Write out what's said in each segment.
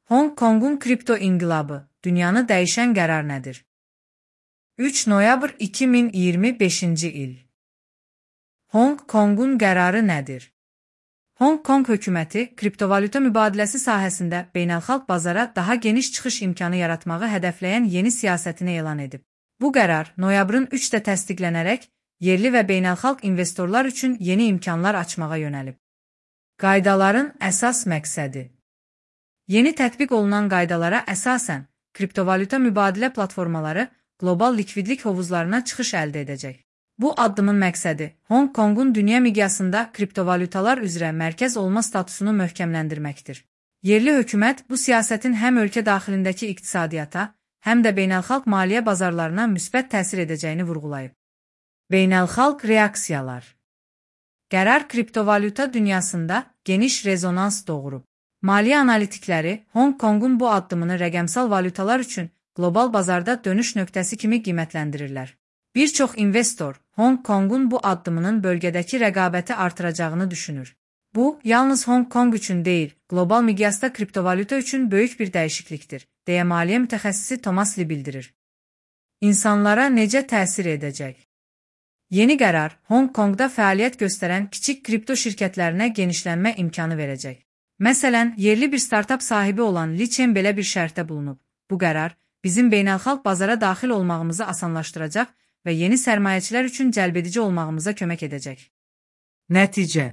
Hong Kongun kripto inqilabı, dünyanı dəyişən qərar nədir? 3 noyabr 2025-ci il. Hong Kongun qərarı nədir? Hong Kong hökuməti kriptovalyuta mübadiləsi sahəsində beynəlxalq bazara daha geniş çıxış imkanı yaratmağı hədəfləyən yeni siyasətini elan edib. Bu qərar noyabrın 3-də təsdiqlənərək yerli və beynəlxalq investorlar üçün yeni imkanlar açmağa yönəlib. Qaydaların əsas məqsədi. Yeni tətbiq olunan qaydalara əsasən, kriptovalyuta mübadilə platformaları qlobal likvidlik hovuzlarına çıxış əldə edəcək. Bu addımın məqsədi Hong Kongun dünya miqyasında kriptovalyutalar üzrə mərkəz olma statusunu möhkəmləndirməkdir. Yerli hökumət bu siyasətin həm ölkə daxilindəki iqtisadiyyata, həm də beynəlxalq maliyyə bazarlarına müsbət təsir edəcəyini vurğulayıb. Beynəlxalq reaksiyalar. Qərar kriptovalyuta dünyasında geniş rezonans doğurub. Maliyyə analitikləri Hong Kongun bu addımını rəqəmsal valyutalar üçün qlobal bazarda dönüş nöqtəsi kimi qiymətləndirirlər. Bir çox investor Hong Kongun bu addımının bölgədəki rəqabəti artıracağını düşünür. Bu, yalnız Hong Kong üçün deyil, qlobal miqyasda kriptovalyuta üçün böyük bir dəyişiklikdir, deyə maliyyə mütəxəssisi Thomas Lee bildirir. İnsanlara necə təsir edəcək? Yeni qərar Hong Kongda fəaliyyət göstərən kiçik kripto şirkətlərinə genişlənmə imkanı verəcək. Məsələn, yerli bir startap sahibi olan Li Chen belə bir şərtdə bulunub. Bu qərar bizim beynəlxalq bazara daxil olmağımızı asanlaşdıracaq və yeni sərmayəçilər üçün cəlbedici olmağımıza kömək edəcək. Nəticə.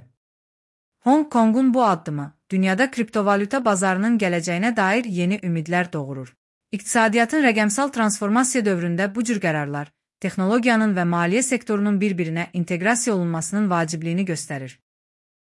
Hong Kongun bu addımı dünyada kriptovalyuta bazarının gələcəyinə dair yeni ümidlər doğurur. İqtisadiyyatın rəqəmsal transformasiya dövründə bu cür qərarlar texnologiyanın və maliyyə sektorunun bir-birinə inteqrasiya olunmasının vacibliyini göstərir.